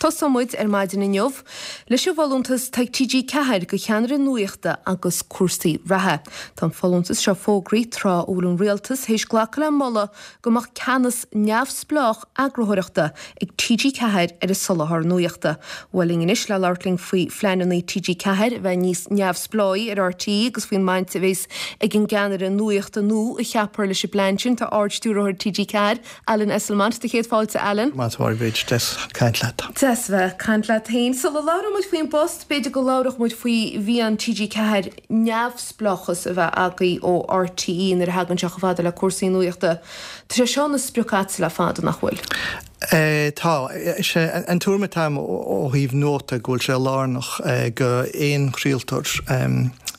Tosóidh muid ar maidin inniu leis an bhfolúntas atá ag TG4 do cheannaire nuachta agus cúrsaí reatha. Tá an folúntas seo fógraithe tráth a bhfuil an Rialtas théis glacadh le moladh go mbeadh ceannas neamhspleách eagarthóireachta ag TG4 ar an soláthar nuachta. Bhuel linn anois le labhairt linn faoi phleananna TG4 a bheith níos neamhspleáí ar RTÉ agus faoin mbaint a bheas ag an gceannaire nuachta nua a cheapfar leis an bplean sin tá Ard-Stiúrthóir TG4, Alan Esslemont. Do chéad fáilte, Alan. Maith thú, a Bhríd. Deas caint leat. Deas bheith ag caint leat féin. Sula labhróidh muid faoin bpost, b'fhéidir go labhródh muid faoi mhian TG4 neamhspleáchas a bheith agaibh ó RTÉ nuair a thagann sé chomh fada le cúrsaí nuachta. Tá sé seo ina sprioc agatsa le fada, nach bhfuil? Tá. Is é an tuairim atá agam ó thaobh nuachta go bhfuil sé lárnach go aon chraoltóir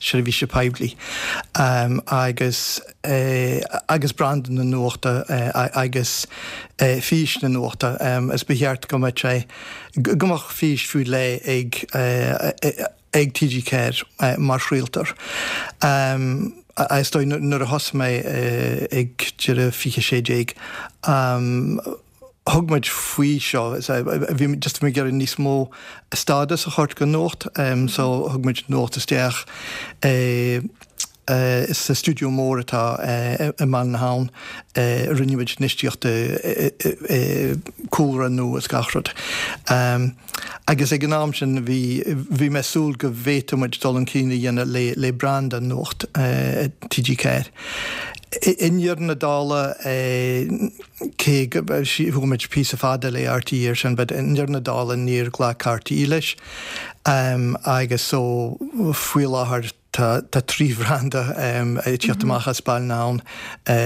seirbhíse poiblí agus agus branda na nuachta agus fís na nuachta. Is ba cheart go mbeadh sé, go mbeadh fís faoi leith ag ag TG4 mar chraoltóir. Is dóigh nuair a thosaigh mé ag deireadh 2016, thug muid faoi seo, bhí just ag iarraidh níos mó stádas a thabhairt go Nuacht, so thug muid Nuacht isteach sa stiúideo mór atá i mBaile na hAbhann, rinne muid infheistíocht i cúlra nua is gach rud. Agus ag an am sin bhí, bhí mé ag súil go bhféadfadh muid dul chun cinn a dhéanamh le, le branda Nuacht TG4. I ndeireadh na dála, cé go, chuaigh muid píosa fada le RTÉ ar sin, but i ndeireadh na dála níor ghlac RTÉ leis. Agus so faoi láthair, Tá 3 bhranda ag tíocht amach as Baile na hAbhann,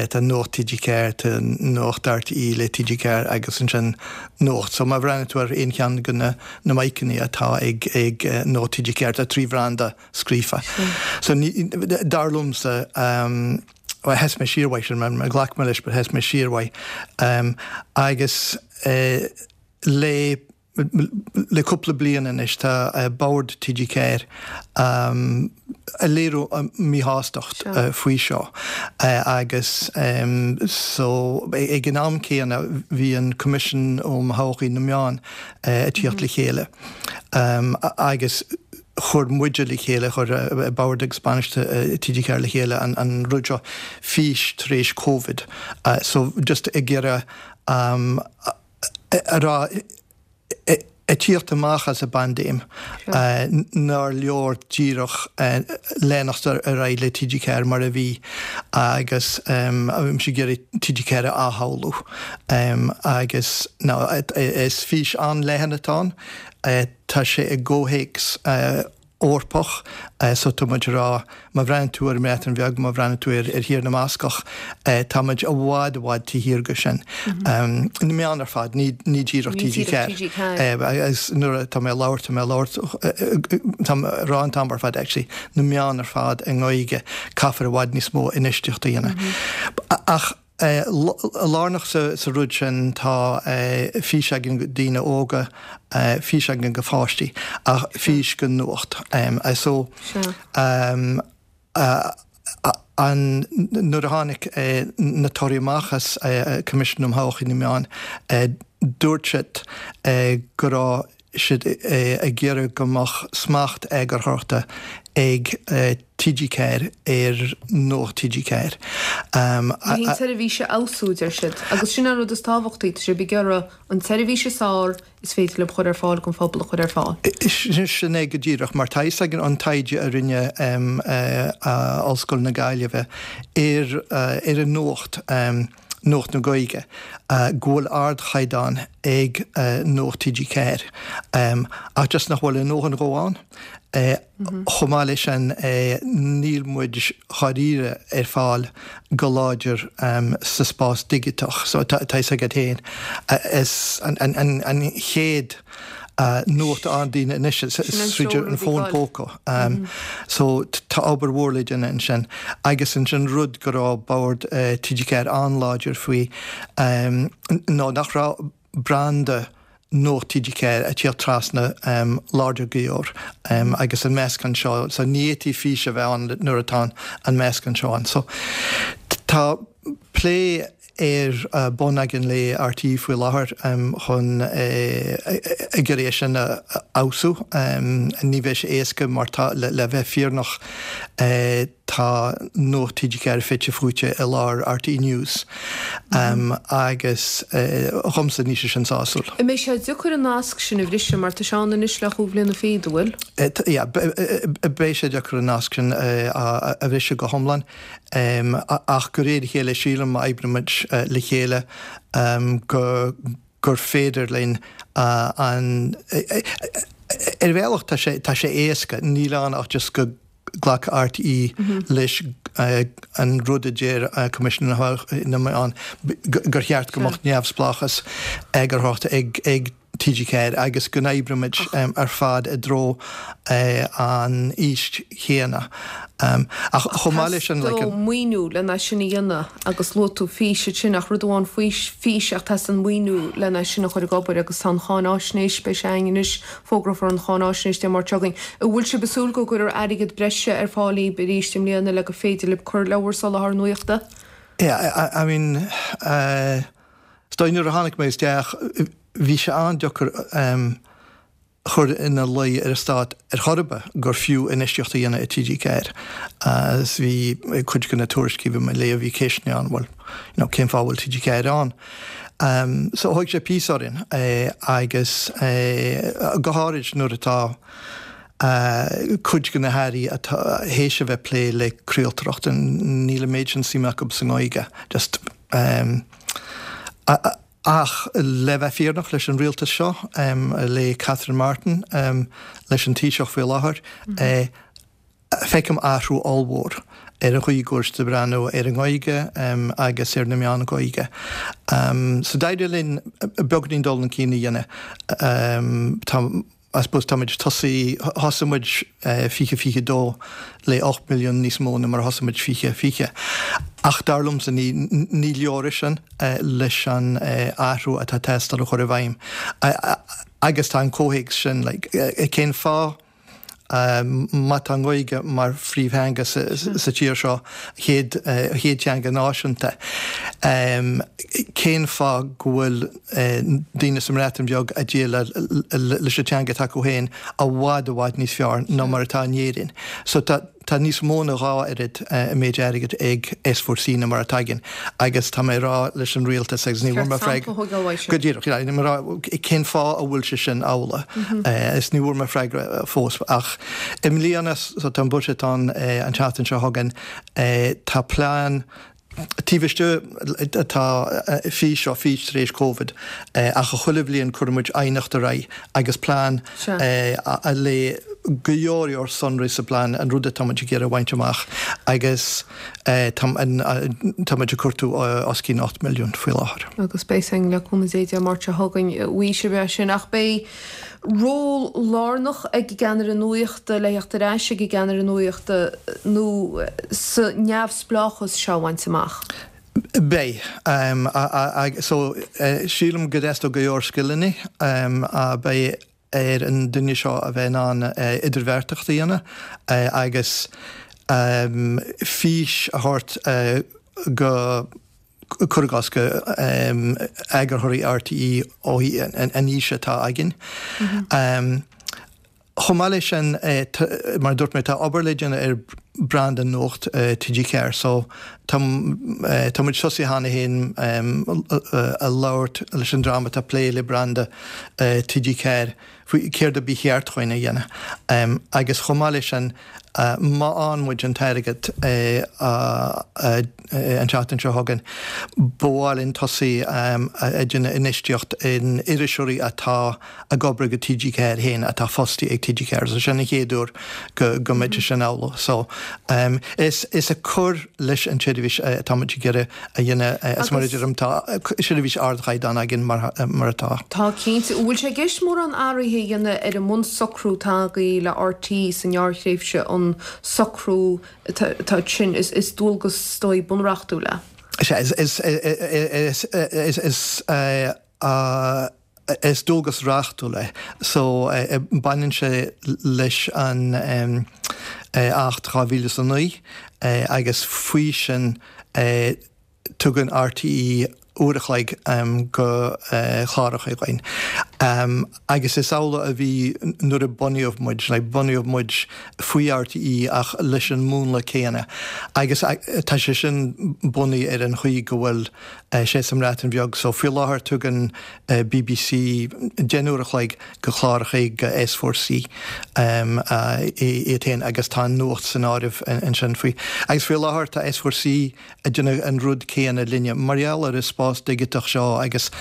tá Nuacht TG4, tá Nuacht RTÉ le TG4 agus ansin Nuacht. So má bhreathnaíonn tú ar aon cheann de na maidhceanna atá ag Nuacht TG4, tá 3 bhranda scríofa. So dar liomsa, bhuel sheas mé siar uaidh sin, ghlac mé leis but sheas mé siar uaidh. Agus le Le cúpla bliain anois tá Bord TG4 ag léiriú a míshástacht faoi seo agus so ag an am céanna bhí an Coimisiún um Thodhchaí na Meán ag tíocht le chéile agus chuir muide le chéile, chuir Bord agus bainisteoir TG4 le chéile an rud seo, Fís tar éis Covid. So just ag iarraidh a rá, ag tíocht amach as an bpaindéim, nár leor díreach leanacht ar aghaidh le TG4 mar a bhí agus bhí mise ag iarraidh TG4 a athshamhlú. Agus now is fís an-leathan atá ann, tá sé i gcomhthéacs Eorpach so tá muid ag rá, má bhreathnaíonn tú ar an mBreatain Bheag, má bhreathnaíonn tú ar Thír na mBascach, tá muid i bhfad, i bhfad taobh thiar de sin. Na meáin ar fad, ní díreach TG4. Agus nuair atá mé ag labhairt, tá mé ag labhairt, tá mé ag rá an t-am ar fad actually, na meáin ar fad i nGaeilge, caithfear i bhfad níos mó infheistíocht a dhéanamh. Ach. Lárnach sa rud sin tá fís againn do daoine óga, fís againn do pháistí, ach fís do Nuacht. So an nuair a tháinig na torthaí amach as Coimisiún um Thodhchaí na Meán, dúirt siad go raibh siad ag iarraidh go mbeadh smacht eagarthóireachta ag TG4 ar Nuacht TG4. Ní an tseirbhís a fheabhsú, deir siad. Agus sin an rud is tábhachtaí, tá sibh ag iarraidh an tseirbhís is fearr is féidir libh a chur ar fáil don phobal a chur ar fáil. Sin é go díreach, mar tá fhios againn ón taighde a rinne Ollscoil na Gaillimhe ar ar an nuacht, Nuacht na Gaeilge, go bhfuil ardchaighdeán ag Nuacht TG4 ach just nach bhfuil a ndóthain dhó ann. Chomh maith leis sin, níl muid dháiríre ar fáil go láidir sa spás digiteach. So tá fhios agat féin, is an chéad nuacht a fhaigheann daoine anois is tríd an fón póca. So tá obair mhór le déanamh ansin. Agus ansin rud go raibh Bord TG4 an-láidir faoi ná nach raibh branda Nuacht TG4 ag tíocht trasna láidir go leor agus an meascán seo, so ní fhéadfaí fís a bheith ann nuair atá an meascán seo ann. So tá plé. ar bun againn le RTÉ faoi láthair chun ag iarraidh é sin a fheabhsú. Ní bheidh sé éasca mar tá, le bheith fírinneach, tá Nuacht TG4 fite fuaite i lár RTÉ News agus dhomsa níl sé sin sásúil. An mbeidh sé deacair an nasc sin a bhriseadh mar tá sé ann anois le chúig bhliana fichead, an bhfuil? Yeah, beidh sé deacair an nasc sin a bhriseadh go hiomlán. Ach de réir a chéile, sílim, má oibrímid le chéile, go gur féidir linn an. Ar bhealach tá sé, tá sé éasca, níl ann ach just go nglacfadh RTÉ leis an rud a deir Coimisiún na Meán, gur cheart go mbeadh neamhspleáchas eagarthóireachta ag TG4 agus go n-oibreoimid ar fad i dtreo an fhís chéanna. Ach chomh maith leis sin, like. Teastaíonn maoiniú lena sin a dhéanamh agus luaigh tú fís ansin ach rud amháin fís ach teastaíonn maoiniú lena sin a chur ag obair agus tá an cháináisnéis, beidh sé againn anois, fógrófar an cháináisnéis Dé Máirt seo chugainn. An bhfuil sibh ag súil go gcuirfear airgead breise ar fáil daoibh arís i mbliana le gur féidir libh cur le bhur soláthar nuachta? Yeah, I mean, Is dóigh nuair a tháinig mé isteach bhí sé an-deacair chur ina luí ar an stát ar chor ar bith gur fiú infheistíocht a dhéanamh i TG4 agus bhí cuid de na tuairiscí a bhí mé ag léamh bhí ceisteanna ann bhuel you know cén fáth a bhfuil TG4 ann? So thóg sé píosa orainn agus go háirid nuair atá cuid de na hairí atá théis a bheith ag plé le craoltóireacht níl an méid sin suime acu sa nGaeilge just Ach le bheith fírinneach leis an rialtas seo, le Catherine Martin, leis an Taoiseach faoi láthair, feicim athrú ollmhór ar an chaoi go bhfuil siad ag breathnú ar an nGaeilge agus ar na meáin Ghaeilge. So d'éirigh linn beagáinín dul chun cinn a dhéanamh. Tá. I suppose táimid tosaí, thosaigh muid 2022 le 8 milliún níos mó ná mar a thosaigh muid 2020. Ach dar liomsa ní ní leor é sin leis an athrú atá ag teastáil a chur i bhfeidhm. Agus tá an comhthéacs sin like cén fáth má tá an Ghaeilge mar phríomhtheanga sa tír seo, chéad chéad teanga náisiúnta, cén fáth go bhfuil daoine sa mBreatain Bheag ag déileáil leis an teanga atá acu féin i bhfad i bhfad níos fearr ná mar atá in Éirinn. So tá tá níos mó ná dhá oiread an méid airgid ag S4C ná mar atá againn agus tá mé ag rá leis an rialtas agus ní bhfuair mé freagra go díreach yeah, mé rá cén fáth a bhfuil sé sin amhlaidh is ní bhfuair mé freagra fós ach i mbliana so tá an buiséad ann an tseachtain seo chugainn tá plean Taobh istigh tá fís ó fís tar éis Covid ach chuile bhliain cuireann muid aighneacht ar aghaidh agus plean le go leor leor sonraí sa bplean an rud atá muid ag iarraidh a bhaint amach agus tá muid ag cuartú os cionn 8 milliún faoi láthair. Agus beidh sin le cúnamh Dé Dé Máirt seo chugainn uaidh sé sin ach beidh ról lárnach ag an gceannaire nuachta le theacht ar ais ag an gceannaire nuachta nó sa neamhspleáchas seo a bhaint amach? Beidh. So, sílim go dteastóidh go leor scileanna. Beidh ar an duine seo a bheith in ann idirbheartaíocht a dhéanamh agus fís a thabhairt go cuir i gcás, go eagarthóirí RTÉ ó thaobh an fhís atá againn. Chomh maith leis sin, mar a dúirt mé, tá obair le déanamh ar branda Nuacht TG4 so tá tá muid tosaithe cheana féin a labhairt leis an dream atá ag plé le branda TG4 faoi céard a ba cheart dhúinn a dhéanamh. Agus chomh maith leis sin, má fhaigheann muid an t-airgead an tseachtain seo chugainn, ba mhaith linn tosaí ag déanamh infheistíocht in iriseoirí atá ag obair do TG4 féin, atá fostaithe ag TG4. So sin an chéad uair go mbeidh sé sin amhlaidh. So is ag cur leis an tseirbhís atá muid ag iarraidh a dhéanamh is mar a deirim tá seirbhís ardchaighdeán againn mar atá. Tá cinnte. An bhfuil sé i gceist mórán athruithe a dhéanamh ar an mbunsocrú atá agaibh le RTÉ sa ngearrthréimhse, an socrú atá sin, is dualgas is dóigh bunreachtúil é? Sea, is dualgas reachtúil é so baineann sé leis an Acht 2009 agus faoi sin. Tugann RTÉ uair a chloig go chláracha againn. Agus is amhlaidh a bhí nuair a bunaíodh muid, like bunaíodh muid faoi RTÉ ach leis an múnla céanna. Agus tá sé sin bunaithe ar an chaoi go bhfuil sé sa mBreatain Bheag. So faoi láthair tugann BBC 10 n-uair a chloig go chláracha go S4C iad féin agus tá an nuacht san áireamh ansin faoi. Agus faoi láthair tá S4C ag déanamh an rud céanna linne mar gheall ar an spás digiteach seo agus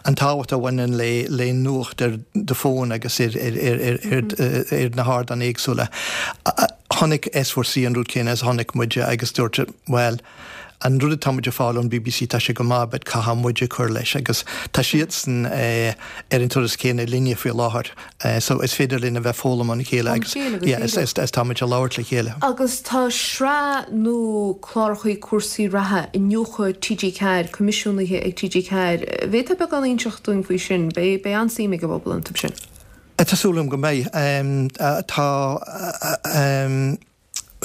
an tábhacht a bhaineann le le nuacht ar do fón agus ar ar ar na hardáin éagsúla. Chonaic S4C an rud céanna is a chonaic muide agus dúirt bhuel, an rud atá muid ag fáil ón bbc tá sé go maith but caithfidh muide cur leis agus tá siadsan ar an turas céanna linne faoi láthair so is féidir linn a bheith foghlaim óna chéile agus yeah is is tá muid ag labhairt le chéile. Agus tá sraith nua clárachaí cúrsaí reatha Iniúchadh TG4 coimisiúnaithe ag TG4. Bhféadfá beagán a inseacht dúinn faoi sin? Beidh beidh an-suim ag an bpobal iontu sin. Tá súil agam go mbeidh. Tá.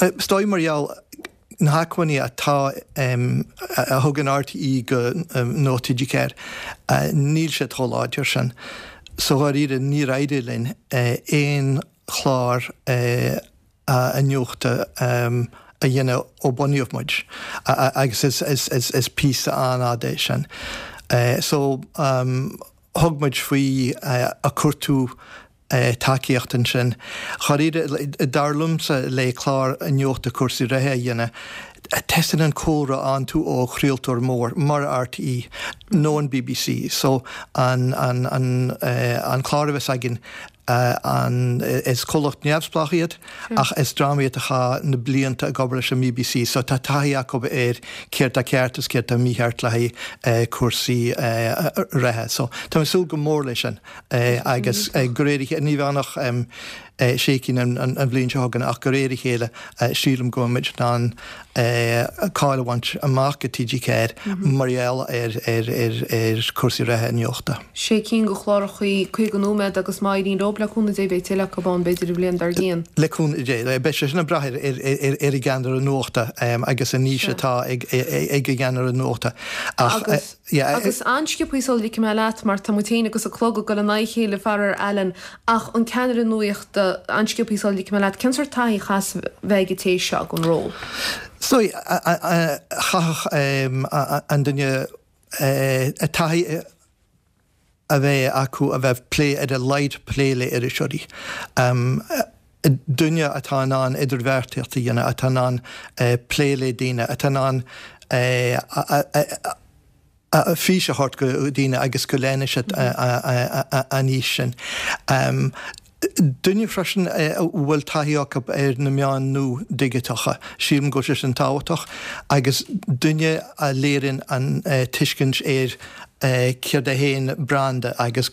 Is dóigh mar gheall na hacmhainní atá, a thugann RTÉ go Nuacht TG4, níl siad chomh láidir sin. So dháiríre níor éirigh linn aon chlár iniúchta a dhéanamh ó bunaíodh muid agus is píosa an-fhada é sin. So thug muid faoi a cuartú tacaíocht ansin. Dháiríre, dar liomsa, le clár iniúchta cúrsaí reatha a dhéanamh, teastaíonn an cúlra iontu ó chraoltóir mór mar RTÉ nó an bbc. So an an clár a bheas againn, an is comhlacht neamhspleách iad ach is dream iad a chaith na blianta ag obair leis an mBBC so tá taithí acu ar céard tá ceart is céard tá mícheart le haghaidh cúrsaí reatha. So tá mé ag súil go mór leis sin. Agus de réir a chéile, ní bheidh ann ach sé cinn an bhliain seo chugainn, ach de réir a chéile sílim go mbeidh muid in ann cáil a bhaint amach go TG4 mar gheall ar chúrsaí reatha nuachta. Sé cinn de chlárachaí 50 nóiméad agus má éiríonn leo, le cúnamh Dé, beidh tuilleadh acu ann b'fhéidir an bhliain dár gcionn. Le cúnamh Dé. Beidh sé sin ag brath ar an gceannaire nuachta agus an fhís atá ag an gceannaire nuachta. Ach. Agus an-sciobthaí sula ligfidh mé leat, mar tá muid féin agus an clog ag dul in aghaidh a chéile, faraor, Alan, ach an ceannaire nuachta, an-sciobthaí sula ligfidh mé leat, cén sórt taithí a chaithfeas bheith ag an té seo don ról? So, chaithfeadh an duine taithí a bheith acu a bheith plé, ar a laghad plé le iriseoirí. Duine atá in ann idirbheartaíocht a dhéanamh, atá in ann plé le daoine, atá in ann fís a thabhairt go daoine agus go leanfaidh siad an fhís sin. Duine freisin a bhfuil taithí acu ar na meáin nua dhigiteacha, sílim go bhfuil sé sin tábhachtach, agus duine a léiríonn an tuiscint ar céard é féin branda agus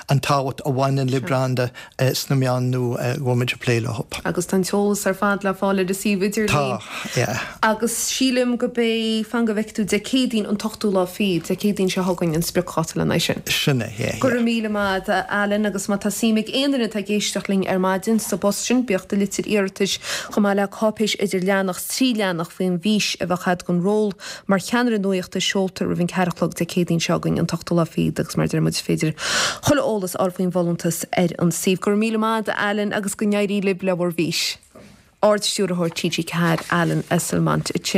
an tábhacht a bhaineann le branda sna meáin nua a bhfuil muid ag plé leo. Agus tá an t-eolas ar fad le fáil ar an suíomh idirlín. Tá, yeah. Agus sílim go b'é, fan go bhfeicfidh tú, Dé Céadaoin an t-ochtú lá fichead, Dé Céadaoin seo chugainn an spriocdháta lena aghaidh sin. Sin é, yeah, yeah. Go raibh míle maith agat, a Alan, agus má tá suim ag aon duine atá ag éisteacht linn ar maidin sa bpost sin, bíodh do litir iarratais chomh maith le cáipéis idir leathanach 's trí leathanach faoin bhfís a bheadh agat don ról mar cheannaire nuachta seolta roimh an ceathair a chlog Dé Céadaoin seo chugainn an t-ochtú lá fichead agus mar a deir muid is féidir chuile eolas a fháil faoin bhfolúntas ar an suíomh. Go raibh míle maith agat a Alan agus go n-éirí libh le bhur bhfís. Ard-Stiúrthóir TG4 Alan Esslemont ansin.